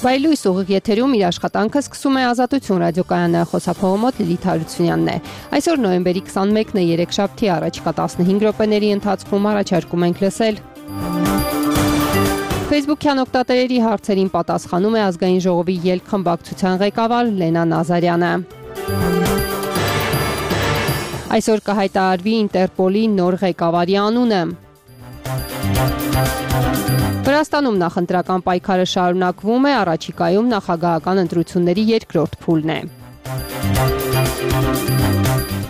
Վայելույս ուղիղ եթերում իր աշխատանքը սկսում է Ազատություն ռադիոկայանը, խոսափողը մոտ Լիլիթ Հարությունյանն է։ Այսօր նոյեմբերի 21-ն է, երեքշաբթի, առաջիկա 15 րոպեների ընթացքում առաջարկում ենք լսել։ Facebook-յան օգտատերերի հարցերին պատասխանում է Ազգային ժողովի ելք խմբակցության ղեկավար Լենա Նազարյանը։ Այսօր կհայտարարվի Ինտերպոլի նոր ղեկավարի անունը։ Վրաստանում նախընտրական պայքարը շարունակվում է, առաջիկայում նախագահական ընտրությունների երկրորդ փուլն է։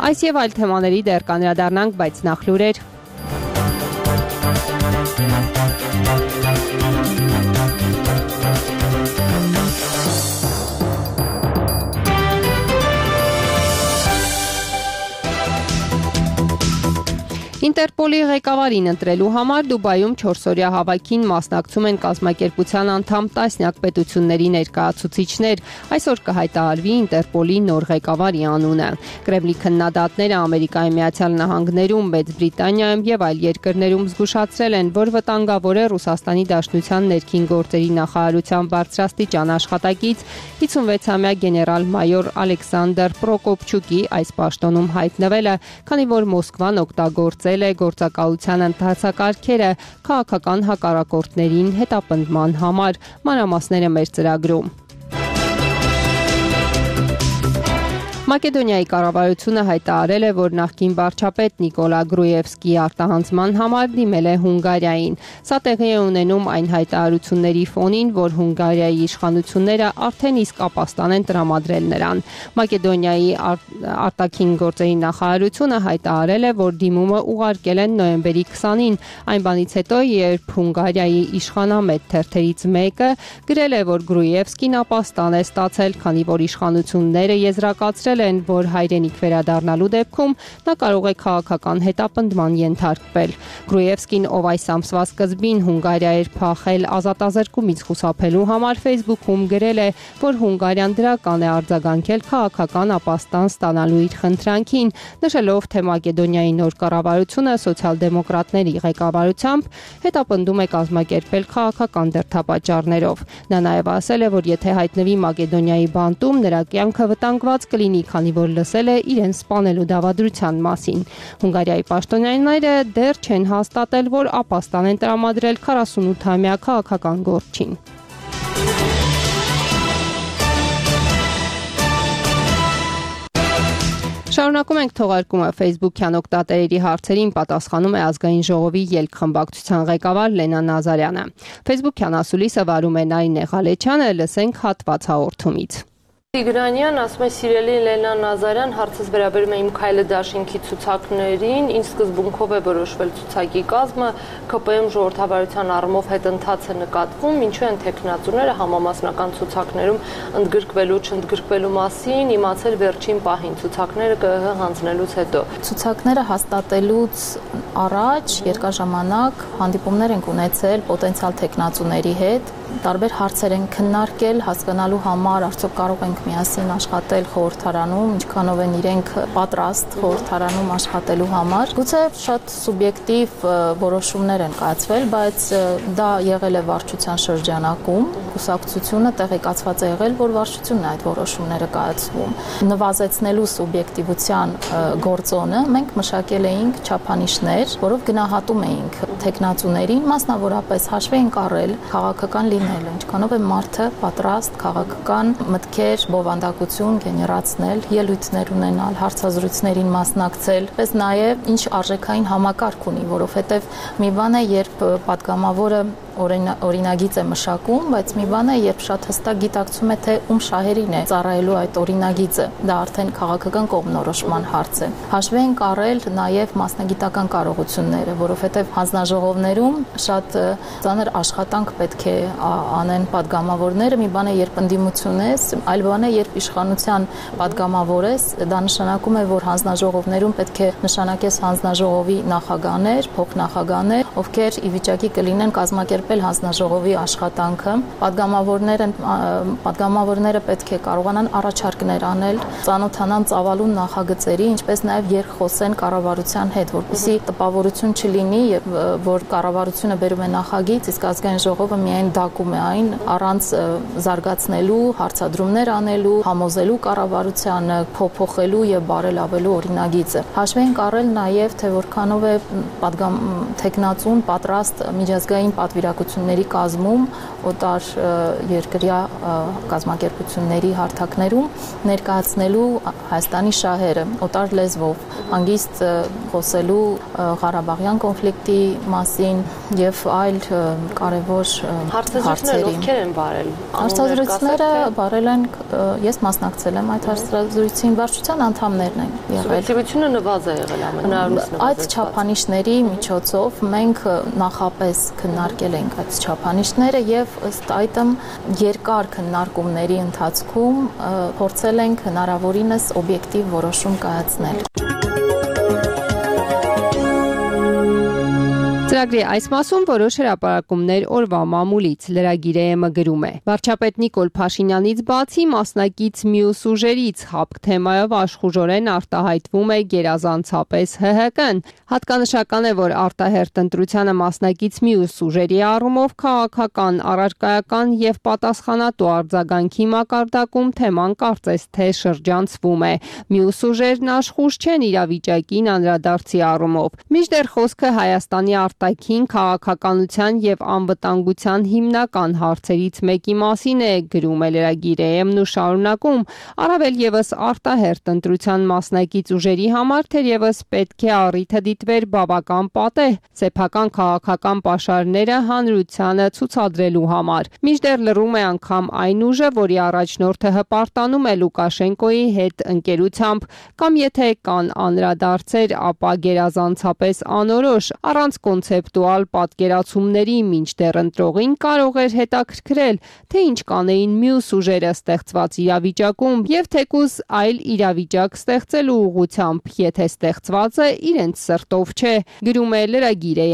Այս եւ այլ թեմաների դեռ կանդրադառնանք, բայց նախ լուրեր։ Ինտերպոլի ղեկավարին ընտրելու համար Դուբայում 4-օրյա հավաքին մասնակցում են կազմակերպության անդամ տասնյակ պետությունների ներկայացուցիչներ։ Այսօր կհայտարարվի Ինտերպոլի նոր ղեկավարի անունը։ Կրեմլի քննադատները Ամերիկայի Միացյալ Նահանգներում, Մեծ Բրիտանիայում եւ այլ երկրներում զգուշացրել են, որ վտանգավոր է Ռուսաստանի Դաշնության ներքին գործերի նախարարության բարձրաստիճան աշխատակից 56-ամյա գեներալ-մայոր Ալեքսանդր Պրոկոպչուկի այս պաշտոնում հայտնվելը, քանի որ Մոսկվան օգտագործել է գործակալության ընթացակարգերը քաղաքական հակառակորդներին հետապնդման համար։ Մանրամասները մեր ծրագրում։ Մակեդոնիայի կառավարությունը հայտարարել է, որ նախկին վարչապետ Նիկոլա Գրուևսկիի արտահանձման համար դիմել է Հունգարիային։ Սա տեղի է ունենում այն հայտարարությունների ֆոնին, որ Հունգարիայի իշխանությունները արդեն իսկ ապաստան են տրամադրել նրան։ Մակեդոնիայի արտաքին գործերի նախարարությունը հայտարարել է, որ դիմումը ուղարկել են նոյեմբերի 20-ին, այն բանից հետո, երբ Հունգարիայի իշխանամետ թերթերից մեկը գրել է, որ Գրուևսկին ապաստան է ստացել, քանի որ իշխանությունները եզրակացրել են, որ հայրենիք վերադառնալու դեպքում նա կարող է քաղաքական հետապնդման ենթարկվել։ Գրուևսկին, ով այս ամսվա սկզբին Հունգարիա էր փախել ազատազրկումից խուսափելու համար, Facebook-ում գրել է, որ Հունգարիան դրական է արձագանքել քաղաքական ապաստան ստանալու իր խնդրանքին, նշելով, թե Մակեդոնիայի նոր կառավարությունը սոցիալ-դեմոկրատների ղեկավարությամբ հետապնդում է կազմակերպել քաղաքական դրդապատճառներով։ Նա նաև ասել է, որ եթե հայտնվի Մակեդոնիայի բանտում, նրա կյանքը վտանգված կլինի, քանի որ լսել է իրեն սպանելու դավադրության մասին։ Հունգարիայի պաշտոնյաները դեռ չեն հաստատել, որ ապաստան են տրամադրել 48-ամյա քաղաքական գործչին։ Շարունակում ենք թողարկումը Facebook-յան օգտատերերի հարցերին պատասխանում է Ազգային ժողովի ելք խմբակցության ղեկավար Լենա Նազարյանը։ Facebook-յան ասուլիսը վարում է Նարինե Ղալեչյանը, լսենք հատված հաղորդումից։ Տիգրանյան ասում է, սիրելի Լենա Նազարյան, հարցս վերաբերում է իմ քայլը դաշինքի ցուցակներին, ինչ սկզբունքով է որոշվել ցուցակի կազմը, ԿՊ-ում ժողովրդավարության առումով հետընթաց է նկատվում, ինչու են տեխնացուները համամասնական ցուցակներում ընդգրկվելու չընդգրկվելու մասին իմացել վերջին պահին ցուցակները ԿՀՀ հանձնելուց հետո։ Ցուցակները հաստատելուց առաջ երկար ժամանակ հանդիպումներ ենք ունեցել պոտենցիալ տեխնացուների հետ, տարբեր հարցեր են քննարկել, հասկանալու համար արդյոք կարող ենք միասին աշխատել խորհրդարանում, ինչքանով են իրենք պատրաստ խորհրդարանում աշխատելու համար։ Գուցե շատ սուբյեկտիվ որոշումներ են կայացվել, բայց դա եղել է վարչության շրջանակում, կուսակցությունը տեղեկացված է եղել, որ վարչությունն է այդ որոշումները կայացվում։ Նվազեցնելու սուբյեկտիվության գործոնը մենք մշակել էինք չափանիշներ, որով գնահատում էինք տեխնացուներին, մասնավորապես հաշվի ենք առել քաղաքական լինելը, ինչքանով է մարդը պատրաստ քաղաքական մտքեր, բովանդակություն գեներացնել, ելույթներ ունենալ, հարցազրույցներին մասնակցել, պես նաև ինչ արժեքային համակարգ ունի, որովհետև մի բան է, երբ պատգամավորը օրինագիծ է մշակում, բայց մի բան է, երբ շատ հստակ գիտակցում է, թե ում շահերին է ծառայելու այդ օրինագիծը, դա արդեն քաղաքական կողմնորոշման հարց է։ Հաշվի ենք առել նաև մասնագիտական կարողությունները, որովհետև հանձնաժողովներում շատ ծանր աշխատանք պետք է անեն պատգամավորները, մի բան է, երբ ընդդիմություն ես, այլ բան է, երբ իշխանության պատգամավոր ես, դա նշանակում է, որ հանձնաժողովներում պետք է նշանակես հանձնաժողովի նախագահներ, փոխնախագահներ, ովքեր ի վիճակի կլինեն կազմակերպել կազմակերպել հանձնաժողովի աշխատանքը։ Պատգամավորները պետք է կարողանան առաջարկներ անել, ծանոթանան ծավալուն նախագծերի, ինչպես նաև երկխոսեն կառավարության հետ, որպեսզի տպավորություն չլինի, որ կառավարությունը բերում է նախագիծ, իսկ ազգային ժողովը միայն դակում է այն առանց զարգացնելու, հարցադրումներ անելու, համոզելու կառավարությանը, փոփոխելու եւ բարելավելու օրինագիծը։ Հաշվի ենք առել նաև, թե որքանով է թեկնածուն պատրաստ միջազգային պատվիրակությունների կազմում օտար երկրյա կազմակերպությունների հարթակներում ներկայացնելու Հայաստանի շահերը օտար լեզվով, հանգիստ խոսելու Ղարաբաղյան կոնֆլիկտի մասին եւ այլ կարևոր հարցերի։ Ովքեր են բարել։ Հարցազրույցները բարել են, ես մասնակցել եմ այդ հարցազրույցին, վարչության անդամներն են եղել։ Սուբյեկտիվությունը նվազ է եղել ամենահնարինս նվազ։ Այդ չափանիշների միջոցով մենք նախապես քննարկել ենք այդ չափանիշները եւ ըստ այդմ երկար քննարկումների ընթացքում փորձել ենք հնարավորինս օբյեկտիվ որոշում կայացնել։ Ծրագրի այս մասում որոշ հրապարակումներ օրվա մամուլից լրագիրը գրում է. Վարչապետ Նիկոլ Փաշինյանից բացի մասնակից մյուս ուժերից հապկ թեմայով աշխուժորեն արտահայտվում է գերազանցապես ՀՀԿ-ն։ Հատկանշական է, որ արտահերտ ընտրությանը մասնակից մյուս ուժերի առումով քաղաքական, առարկայական եւ պատասխանատու արձագանքի մակարդակում թեման կարծես թե շրջանցվում է։ Մյուս ուժերն աշխուժ չեն իրավիճակին անդրադարձի առումով։ Մինչդեռ խոսքը Հայաստանի արտաքին քաղաքականության եւ անվտանգության հիմնական հարցերից մեկի մասին է, գրում է լրագիրը ու շարունակում, առավել եւս արտահերտ ընտրության մասնակից ուժերի համար թերևս պետք է առիթը դիտվեր բավական պատեհ սեփական քաղաքական պաշարները հանրությանը ցուցադրելու համար։ Մինչդեռ լռում է անգամ այն ուժը, որի առաջնորդը հպարտանում է Լուկաշենկոյի հետ ընկերությամբ, կամ եթե կան անդրադարձեր, ապա գերազանցապես անորոշ, առանց կոնցեպտուալ պատկերացումների, մինչդեռ ընտրողին կարող էր հետաքրքրել, թե ինչ կանեին մյուս ուժերը ստեղծված իրավիճակում եւ թեկուզ այլ իրավիճակ ստեղծելու ուղղությամբ, եթե ստեղծվածը իրենց սրտով չէ, գրում է լրագիրը։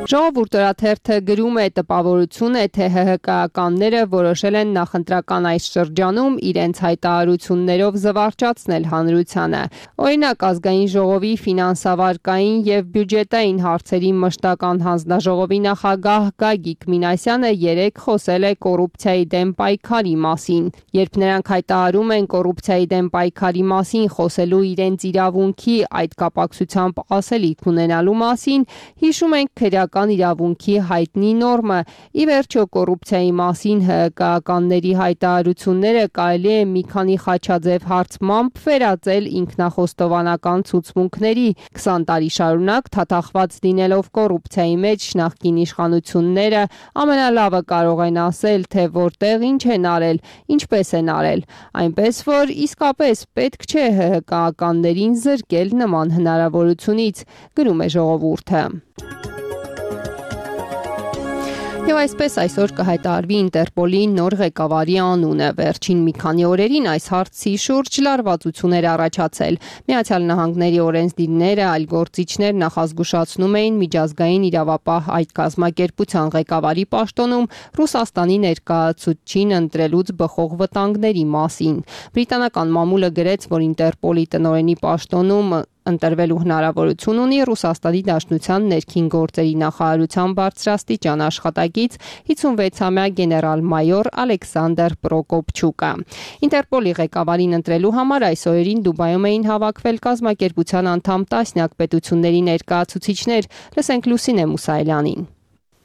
Ժողովուրդ օրաթերթը գրում է տպավորություն է, թե ՀՀԿ-ականները որոշել են նախընտրական այս շրջանում իրենց հայտարարություններով զվարճացնել հանրությանը։ Օրինակ, ազգային ժողովի ֆինանսավարկային եւ բյուջետային հարցերի մշտական հանձնաժողովի նախագահ Գագիկ Մինասյանը երեկ խոսել է կոռուպցիայի դեմ պայքարի մասին։ Երբ նրանք հայտարարում են կոռուպցիայի դեմ պայքարի մասին խոսելու իրենց իրավունքի այդ կապակցությամբ ասելիք ունենալու մասին, հիշում ենք քրեական իրավունքի հայտնի նորմը։ Ի վերջո կոռուպցիայի մասին ՀՀԿ-ականների հայտարարությունները կարելի է մի քանի խաչաձև հարցմամբ վերածել ինքնախոստովանական ցուցմունքների։ 20 տարի շարունակ թաթախված լինելով կոռուպցիայի մեջ նախկին իշխանությունները ամենալավը կարող են ասել, թե որտեղ ինչ են արել, ինչպես են արել։ Այնպես որ իսկապես պետք չէ ՀՀԿ-ականներին զրկել նման հնարավորությունից, գրում է ժողովուրդը։ Եվ այսպես այսօր կհայտարարվի Ինտերպոլի նոր ղեկավարի անունը։ Վերջին մի քանի օրերին այս հարցի շուրջ լարվածություն էր առաջացել։ Միացյալ Նահանգների օրենսդիրները, այլ գործիչներ նախազգուշացնում էին միջազգային իրավապահ այդ կազմակերպության ղեկավարի պաշտոնում Ռուսաստանի ներկայացուցչին ընտրելուց բխող վտանգների մասին։ Բրիտանական մամուլը գրեց, որ Ինտերպոլի տնօրենի պաշտոնում ընտրվելու հնարավորություն ունի Ռուսաստանի Դաշնության ներքին գործերի նախարարության բարձրաստիճան աշխատակից 56-ամյա գեներալ-մայոր Ալեքսանդր Պրոկոպչուկը։ Ինտերպոլի ղեկավարին ընտրելու համար այս օրերին Դուբայում էին հավաքվել կազմակերպության անդամ տասնյակ պետությունների ներկայացուցիչներ։ Լսենք Լուսինե Մուսայելյանին։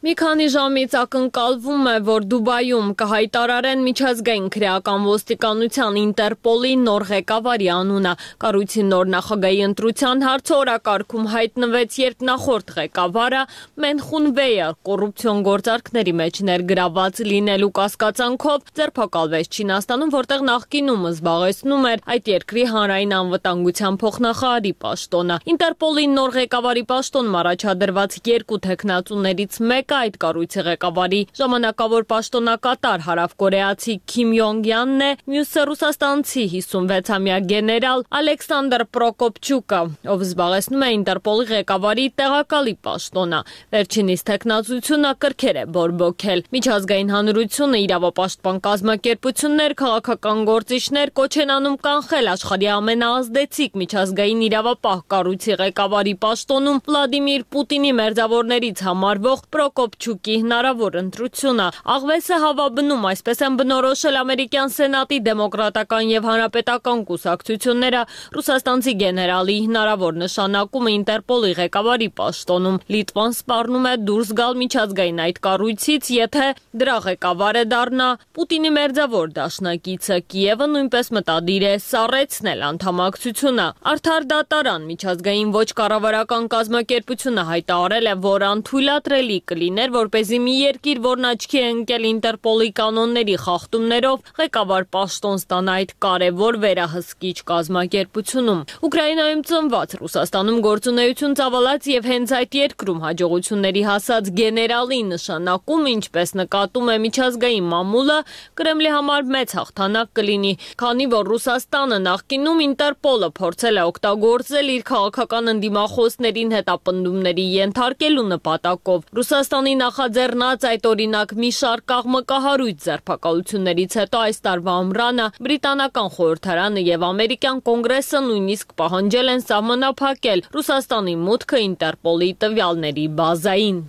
Մի քանի ժամից ակնկալվում է, որ Դուբայում կհայտարարեն միջազգային քրեական ոստիկանության Ինտերպոլի նոր ղեկավարի անունը։ Կառույցի նոր նախագահի ընտրության հարցը օրակարգում հայտնվեց, երբ նախորդ ղեկավարը Մենխուն Վեյը կոռուպցիոն գործարքների մեջ ներգրավված լինելու կասկածանքով ձերբակալվեց Չինաստանում, որտեղ նախկինում զբաղեցնում էր այդ երկրի հանրային անվտանգության փոխնախարարի պաշտոնը։ Ինտերպոլի նոր ղեկավարի պաշտոնում առաջադրված երկու թեկնածուներից մեկը կա այդ կառույցի ղեկավարի ժամանակավոր պաշտոնակատար հարավկորեացի Քիմ Յոնգյանն է, մյուսը ռուսաստանցի 56-ամյա գեներալ Ալեքսանդր Պրոկոպչուկը, ով զբաղեցնում է Ինտերպոլի ղեկավարի տեղակալի պաշտոնը։ Վերջինիս թեկնածությունը կրքեր է բորբոքել։ Միջազգային հանրությունը, իրավապաշտպան կազմակերպություններ, քաղաքական գործիչներ կոչ են անում կանխել աշխարհի ամենաազդեցիկ միջազգային իրավապահ կառույցի ղեկավարի պաշտոնում Վլադիմիր Պուտինի մերձավորներից համարվող Պրոկոպչուկի հնարավոր ընտրությունը։ Աղվեսը հավաբնում, այսպես են բնորոշել ամերիկյան սենատի դեմոկրատական եւ հանրապետական կուսակցությունները ռուսաստանցի գեներալի հնարավոր նշանակումը Ինտերպոլի ղեկավարի պաշտոնում։ Լիտվան սպառնում է դուրս գալ միջազգային այդ կառույցից, եթե դրա ղեկավարը դառնա Պուտինի մերձավոր դաշնակիցը։ Կիևը նույնպես մտադիր է սառեցնել անդամակցությունը։ Արդար դատարան միջազգային ոչ կառավարական կազմակերպությունը հայտարարել է, որ անթույլատրելի կլիներ, որպեսզի մի երկիր, որն աչքի է ընկել Ինտերպոլի կանոնների խախտումներով, ղեկավար պաշտոն ստանա այդ կարևոր վերահսկիչ կազմակերպությունում։ Ուկրաինայում ծնված, Ռուսաստանում գործունեություն ծավալած եւ հենց այդ երկրում հաջողությունների հասած գեներալի նշանակում, ինչպես նկատում է միջազգային մամուլը, Կրեմլի համար մեծ հաղթանակ կլինի, քանի որ Ռուսաստանը նախկինում Ինտերպոլը փորձել է օգտագործել իր քաղաքական ընդդիմախոսներին հետապնդումների ենթարկելու նպատակով։ Ռուսաստանի նախաձեռնած այդ օրինակ մի շարք աղմկահարույց ձերբակալություններից հետո այս տարվա ամռանը բրիտանական խորհրդարանը եւ ամերիկյան կոնգրեսը նույնիսկ պահանջել են սահմանափակել Ռուսաստանի մուտքը Ինտերպոլի տվյալների բազային։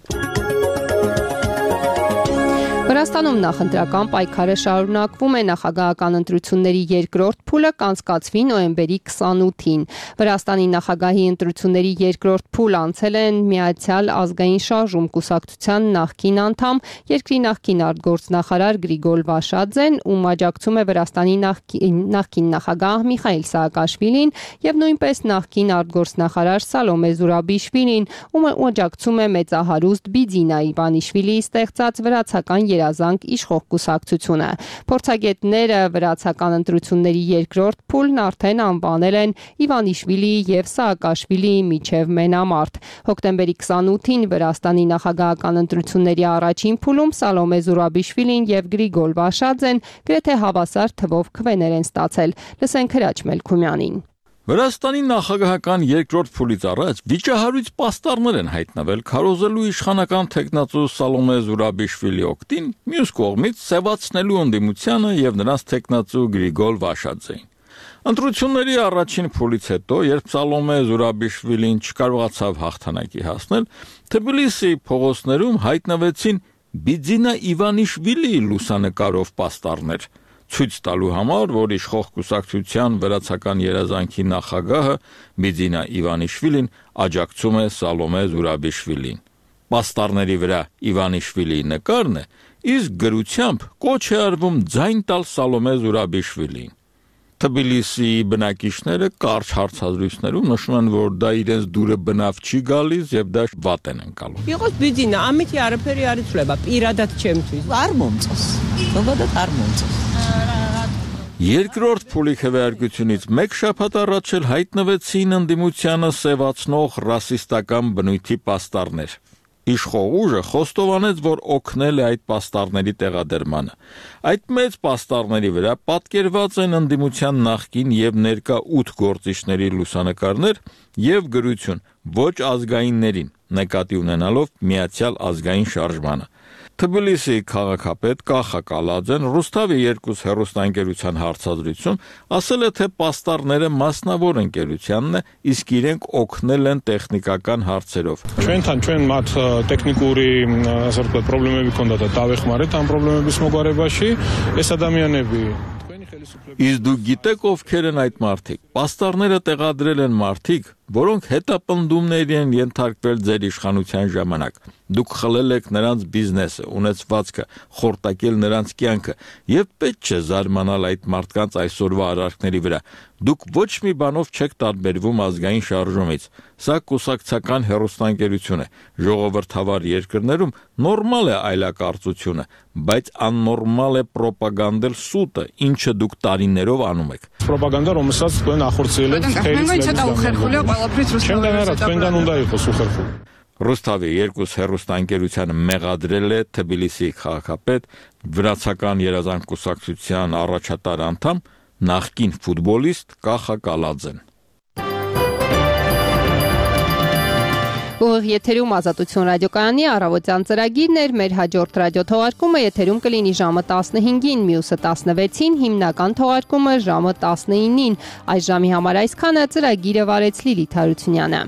Վրաստանում նախընտրական պայքարը շարունակվում է, նախագահական ընտրությունների երկրորդ փուլը կանցկացվի նոյեմբերի 28-ին։ Վրաստանի նախագահի ընտրությունների երկրորդ փուլ անցել են Միացյալ ազգային շարժում կուսակցության նախկին անդամ, երկրի նախկին արտգործնախարար Գրիգոր Վաշադզեն, ում աջակցում է Վրաստանի նախկին նախագահ Միխայիլ Սաակաշվիլին եւ նույնպես նախկին արտգործնախարար Սալոմե Զուրաբիշվիլին, ում աջակցում է մեծահարուստ Բիձինա Իվանիշվիլիի ստեղծած վրացական երազանք իշխող կուսակցությունը։ Փորձագետները վրացական ընտրությունների երկրորդ փուլն արդեն անվանել են Իվանիշվիլիի եւ Սաակաշվիլիի միջև մենամարտ։ Հոկտեմբերի 28-ին Վրաստանի նախագահական ընտրությունների առաջին փուլում Սալոմե Զուրաբիշվիլին եւ Գրիգոր Վաշադզեն գրեթե հավասար թվով քվեներ են ստացել։ Լսենք Հրաչ Մելքումյանին։ Վրաստանի նախագահական երկրորդ փուլից առաջ վիճահարույց պաստառներ են հայտնվել քարոզելու իշխանական թեկնածու Սալոմե Զուրաբիշվիլի օգտին, մյուս կողմից սևացնելու ընդդիմությանը եւ նրանց թեկնածու Գրիգոր Վաշադզեին։ Ընտրությունների առաջին փուլից հետո, երբ Սալոմե Զուրաբիշվիլին չկարողացավ հաղթանակի հասնել, Թբիլիսիի փողոցներում հայտնվեցին Բիձինա Իվանիշվիլիի լուսանկարով պաստառներ, ցույց տալու համար, որ իշխող կուսակցության վրացական երազանքի նախագահը Բիձինա Իվանիշվիլին աջակցում է Սալոմե Զուրաբիշվիլին։ Պաստառների վրա Իվանիշվիլիի նկարն է, իսկ գրությամբ կոչ է արվում ձայն տալ Սալոմե Զուրաբիշվիլին։ Թբիլիսիի բնակիչները կարճ հարցազրույցներում նշում են, որ դա իրենց դուրը բնավ չի գալիս եւ դա վատ են ընկալում։ Եղած Բիձինա, ամիթի արփերի արիցլեբա, իրադատ չեմ ցույց։ Արմոնցս։ Ովադատ արմոնցս։ Երկրորդ փուլի քվեարկությունից մեկ շաբաթ առաջ էլ հայտնվեցին ընդդիմությանը սևացնող ռասիստական բնույթի պաստառներ։ Իշխող ուժը խոստովանեց, որ օգնել է այդ պաստառների տեղադրմանը։ Այդ մեծ պաստառների վրա պատկերված են ընդդիմության նախկին եւ ներկա 8 գործիչների լուսանկարներ եւ գրություն ոչ ազգայիններին, նկատի ունենալով Միացյալ ազգային շարժմանը։ Թբիլիսիի քաղաքապետ Կախա Կալաձեն Ռուստավի 2 հեռուստաընկերության հարցազրույցում ասել է, թե պաստառները մասնավոր ընկերությանն է, իսկ իրենք օգնել են տեխնիկական հարցերով։ Ჩვენ მათ տեխնიკური ասած խնդիրები կոնդա տավեխ մարետ ան խնդիրების մոգարեբաշի այս ადამიანები Իսկ դու գիտեք ովքեր են այդ մարդիկ։ Պաստառները տեղադրել են մարդիկ, որոնք հետապնդումների են ենթարկվել ձեր իշխանության ժամանակ։ Դուք խլել եք նրանց բիզնեսը, ունեցվածքը, խորտակել նրանց կյանքը, եւ պետք չէ զարմանալ այդ մարդկանց այսօրվա արարքների վրա։ Դուք ոչ մի բանով չեք տարբերվում ազգային շարժումից։ Սա կուսակցական հեռուստաընկերություն է։ Ժողովրդավար երկրներում նորմալ է այլակարծությունը, բայց աննորմալ է պրոպագանդել սուտը, ինչը դուք տարիներով անում եք։ Պրոպագանդա ռոմսած կոն ախորցել են թերից։ Ռուսթավի 2 հեռուստաընկերությանը մեղադրել է Թբիլիսի քաղաքապետ, վրացական երազանք կուսակցության առաջատար անդամ, նախկին ֆուտբոլիստ Կախա Կալաձեն։ Ուղիղ եթերում Ազատություն ռադիոկայանի առավոտյան ծրագիրն էր, մեր հաջորդ ռադիոթողարկումը եթերում կլինի ժամը 15-ին, մյուսը 16-ին, հիմնական թողարկումը ժամը 19-ին։ Այս ժամի համար այսքանը, ծրագիրը վարեց Լիլիթ Հարությունյանը։